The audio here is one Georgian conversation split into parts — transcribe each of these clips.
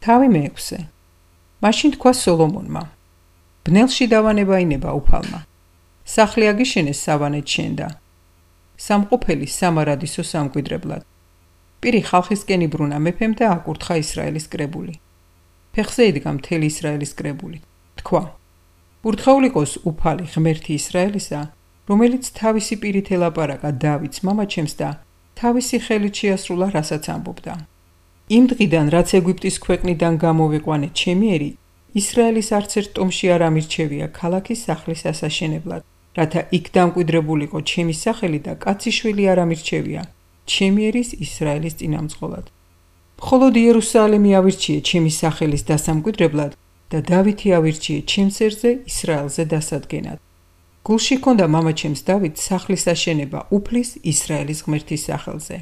თავი მეექვსე. მაშინ თქვა სოლომონმა: ბნელში დავანება ინება უფალმა. სახლი აგიშენეს სავანეთ შენდა. სამყოფელი სამარადისო სამკვიდრებლად. პირი ხალხისკენ იბრუნა მეფემ და აკურთხა ისრაელის კრებული. ფეხზე იდგა მთელი ისრაელის კრებული. თქვა: ურთხეულ იყოს უფალი ღმერთი ისრაელისა, რომელიც თავისი პირით ელაპარაკა დავითს მამაჩემს და თავისი ხელით შეასრულა, რასაც ამბობდა. იმ დღიდან, რაც ეგვიპტის ქვეყნიდან გამოვიყვანე ჩემი ერი, ისრაელის არცერთ ტომში არ ამირჩევია ქალაქის სახლის ასაშენებლად, რათა იქ დამკვიდრებულიყო ჩემი სახელი და კაციშვილი არ ამირჩევია ჩემი ერის ისრაელის წინამძღოლად. მხოლოდ იერუსალემი ავირჩიე ჩემი სახელის დასამკვიდრებლად და დავითი ავირჩიე ჩემს ერზე ისრაელზე დასადგენად. გულში ჰქონდა მამაჩემს დავითს სახლის აშენება უფლის ისრაელის ღმერთის სახელზე.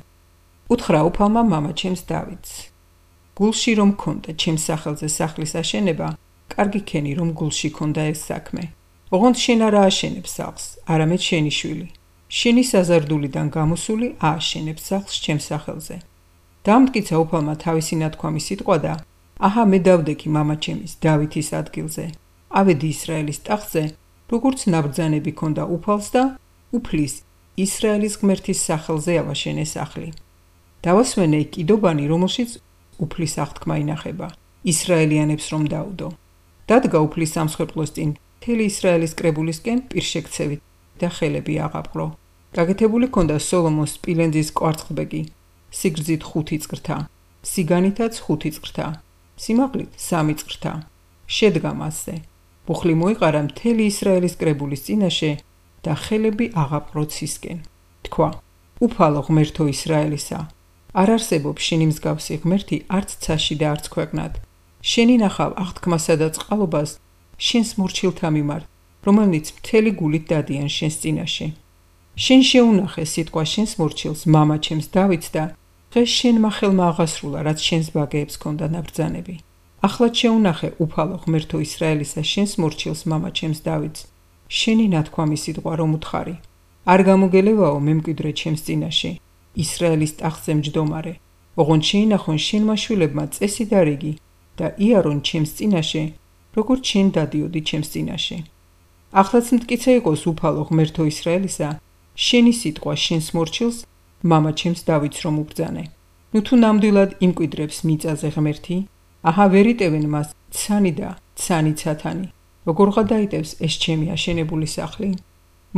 უთხრა უფალმა მამაჩემს დავითს: გულში რომ ჰქონდა ჩემს სახელზე სახლის აშენება, კარგი ქენი რომ გულში ჰქონდა ეს საქმე. ოღონდ შენ არ ააშენებ სახლს, არამედ შენი შვილი. შენი საზარდულიდან გამოსული ააშენებს სახლს ჩემს სახელზე. დაამტკიცა უფალმა თავისი ნათქვამი სიტყვა და აჰა მე დავდექი მამაჩემის დავითის ადგილზე. ავედი ისრაელის ტახტზე, როგორც ნაბრძანები ქონდა უფალს და უფლის ისრაელის ღმერთის სახელზე ავაშენე სახლი. დავასვენე იქ კიდობანი, რომელშიც უფლის აღთქმა ინახება, ისრაელიანებს რომ დაუდო. დადგა უფლის სამსხვერპლოს წინ მთელი ისრაელის კრებულისკენ პირშექცევით და ხელები აღაპყრო. გაკეთებული ქონდა სოლომონს სპილენძის კვარცხლბეკი, სიგრძით 5 წრთა, სიგანითაც 5 წრთა, სიმაღლით 3 წრთა. შედგა მასზე. მუხლი მოიყარა მთელი ისრაელის კრებულის წინაშე და ხელები აღაპყრო ცისკენ. თქვა: უფალო ღმერთო ისრაელისა, არ არსებობს შენი მსგავსი ღმერთი არც ცაში და არც ქვეყნად. შენი ნახავ აღთქმასა და წყალობას შენს მორჩილთა მიმართ, რომელნიც მთელი გულით დადიან შენს წინაშე. შენ შეუნახე სიტყვა შენს მორჩილს მამაჩემს დავითს და დღეს შენმა ხელმა აღასრულა, რაც შენს ბაგეებს ჰქონდა ნაბრძანები. ახლაც შეუნახე უფალო ღმერთო ისრაელისა შენს მორჩილს მამაჩემს დავითს, შენი ნათქვამი სიტყვა რომ უთხარი. არ გამოგელევაო მემკვიდრე ჩემს წინაშე, ისრაელის ტახტზე მჯდომარე, ოღონდ შეინახონ შენმა შვილებმა წესი და რიგი და იარონ ჩემს წინაშე, როგორც შენ დადიოდი ჩემს წინაშე. ახლაც მტკიცე იყოს უფალო ღმერთო ისრაელისა, შენი სიტყვა შენს მორჩილს მამაჩემს დავითს რომ უბრძანე. ნუ თუ ნამდვილად იმკვიდრებს მიწაზე ღმერთი, აჰა ვერ იტევენ მას ცანი და ცანი ცათანი, როგორ გადაიტევს ეს ჩემი აშენებული სახლი?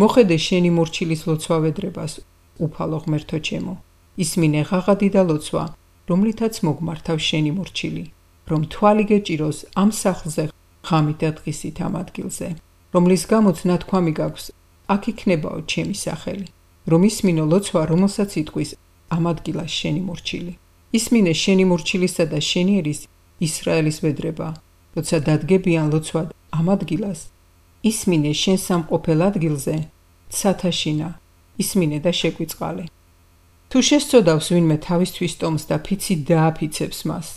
მოხედე შენი მორჩილის ლოცვა ვედრებას, უფალო ღმერთო ჩემო, ისმინე ღაღადი და ლოცვა, რომლითაც მოგმართავ შენი მორჩილი, რომ თვალი გეჭიროს ამ სახლზე ღამით და დღისით ამ ადგილზე, რომლის გამოც ნათქვამი გაქვს, აქ იქნებაო ჩემი სახელი, რომ ისმინო ლოცვა, რომელსაც იტყვის ამ ადგილას შენი მორჩილი. ისმინე შენი მორჩილისა და შენი ერის ისრაელის ვედრება, როცა დადგებიან ლოცვად ამ ადგილას, ისმინე შენ სამყოფელ ადგილზე ცათაშინა, ისმინე და შეგვიწყალე. თუ შესწოდავს ვინმე თავისთვის ტომს და ფიცით დააფიცებს მას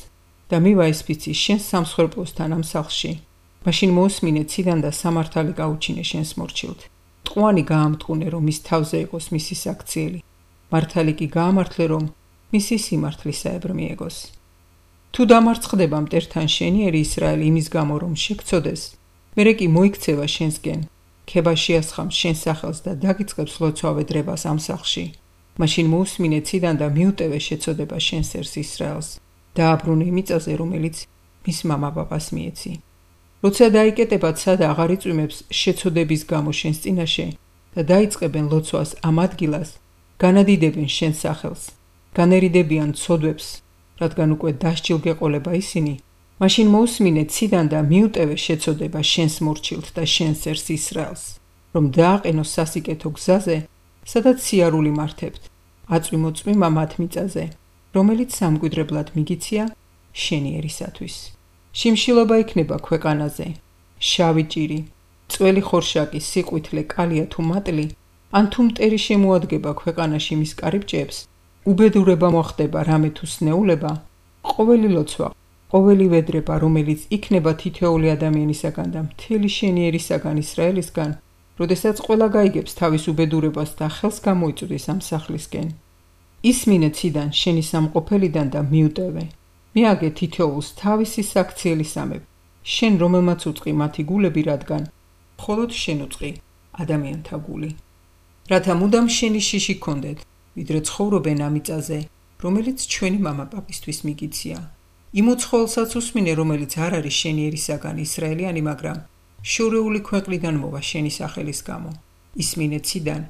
და მივა ეს ფიცი შენს სამსხვერპლოსთან ამ სახლში, მაშინ მოусმინე ციდან და სამართალი გაუჩინე შენს მორჩილთ. ტყვანი გაამტყუნე, რომ მის თავზე იყოს მისი საქციელი, მართალი კი გაამართლე, რომ მისი სიმართლისაებრ მიეგოს. თუ დამარცხდება მტერთან შენი ერი ისრაელი იმის გამო, რომ შეგცოდეს, მერე კი მოიქცევა შენსკენ, ქება შეასხამს შენ სახელს და დაგიწყებს ლოცვა ვედრებას ამ სახლში. მაშინ მოусმინე ციდან და მიუტევე შეცოდება შენს ერს ისრაელს, დააბრუნე მიწაზე, რომელიც მის მამაპაპას მიეცი. როცა დაიკეტება ცა და აღარ იწვიმებს შეცოდების გამო შენს წინაშე და დაიწყებენ ლოცვას ამ ადგილას, განადიდებენ შენს სახელს, განერიდებიან ცოდვებს, რადგან უკვე დასჯილ გეყოლება ისინი, მაშინ მოусმინე ციდან და მიუტევე შეცოდება შენს მორჩილთ და შენს ერს ისრაელს, რომ დააყენოს სასიკეთო გზაზე, სადაც სიარული მართებთ, აწვიმო წვიმა მათ მიწაზე, რომელიც სამკვიდრებლად მიგიცია შენი ერისათვის. შიმშილობა იქნება ქვეყანაზე, შავი ჭირი, წველი ხორშაკი, სიყვითლე, კალია თუ მატლი, ან თუ მტერი შემოადგება ქვეყანაში მის კარიბჭეებს, უბედურება მოხდება რამე თუ სნეულება, ყოველი ლოცვა, ყოველი ვედრება, რომელიც იქნება თითოეული ადამიანისაგან და მთელი შენი ერისაგან ისრაელისგან, როდესაც ყველა გაიგებს თავის უბედურებას და ხელს გამოიწვდის ამ სახლისკენ. ისმინე ციდან შენი სამყოფელიდან და მიუტევე, მიაგე თითოეულს თავისი საქციელი სამები, შენ რომელმაც უწყი მათი გულები, რადგან მხოლოდ შენ უწყი ადამიანთა გული. რათა მუდამ შენი შიში გქონდეთ, ვიდრე ცხოვრობენ ამ მიწაზე, რომელიც ჩვენი მამაპაპისთვის მიგიცია. იმ უცხოელსაც უსმინე, რომელიც არ არის შენი ერისაგან ისრაელიანი, მაგრამ შორეული ქვეყნიდან მოვა შენი სახელის გამო. ისმინე ციდან,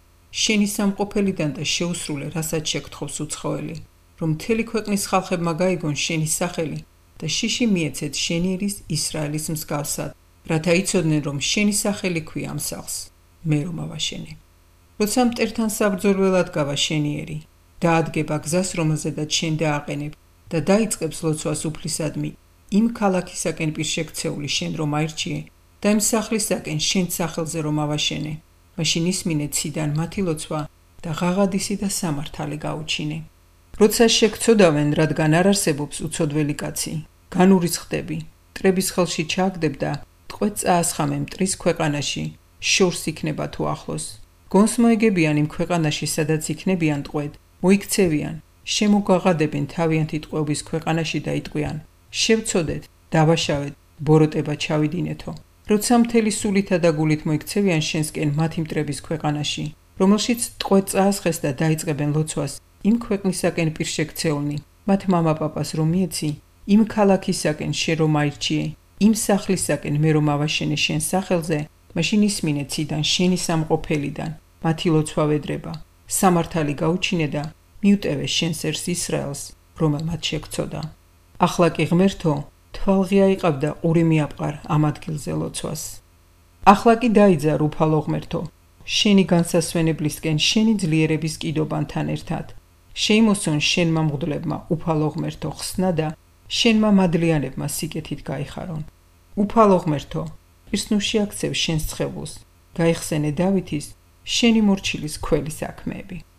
შენი სამყოფელიდან და შეუსრულე, რასაც შეგთხოვს უცხოელი, რომ მთელი ქვეყნის ხალხებმა გაიგონ შენი სახელი და შიში მიეცეთ შენი ერის ისრაელის მსგავსად, რათა იცოდნენ, რომ შენი სახელი ქვია ამ სახლს, მე რომ ავაშენე. როცა მტერთან საბრძოლველად გავა შენი ერი, დაადგება გზას, რომელზედაც შენ დააყენებ და დაიწყებს ლოცვას უფლისადმი იმ ქალაქისაკენ პირშექცეული შენ რომ აირჩიე და იმ სახლისაკენ შენ სახელზე რომ ავაშენე, მაშინ ისმინე ციდან მათი ლოცვა და ღაღადისი და სამართალი გაუჩინე. როცა შეგცოდავენ, რადგან არ არსებობს უცოდველი კაცი, განურიცხდები, მტრების ხელში ჩააგდებ და ტყვედ წაასხამე მტრის ქვეყანაში, შორს იქნება თუ ახლოს. გონს მოეგებიან იმ ქვეყანაში, სადაც იქნებიან ტყვედ, მოიქცევიან, შემოგაღადებენ თავიანთი ტყვეობის ქვეყანაში და იტყვიან, შევცოდეთ, დავაშავეთ, ბოროტება ჩავიდინეთო. როცა მთელი სულითა და გულით მოიქცევიან შენსკენ მათი მტრების ქვეყანაში, რომელშიც ტყვედ წაასხეს და დაიწყებენ ლოცვას იმ ქვეყნისაკენ პირშექცეულნი, მათ მამაპაპას რომ მიეცი, იმ ქალაქისაკენ შენ რომ აირჩიე, იმ სახლისაკენ მე რომ ავაშენე შენ სახელზე, მაშინ ისმინე ციდან შენი სამყოფელიდან, მათი ლოცვა ვედრება, სამართალი გაუჩინე და მიუტევე შენს ერს ისრაელს, რომელმაც შეგცოდა. ახლა კი ღმერთო, თვალღია იყავდა ყური მიაპყარ ამ ადგილზე ლოცვას. ახლა კი დაიძარ უფალო ღმერთო, შენი განსასვენებლისკენ შენი ძლიერების კიდობანთან ერთად. შეიმოსონ შენმა მღვდლებმა უფალო ღმერთო ხსნა და შენმა მადლიანებმა სიკეთით გაიხარონ. უფალო ღმერთო, პირსნუში აქცევ შენს ცხებულს, გაიხსენე დავითის შენი მორჩილის ქველი საქმეები.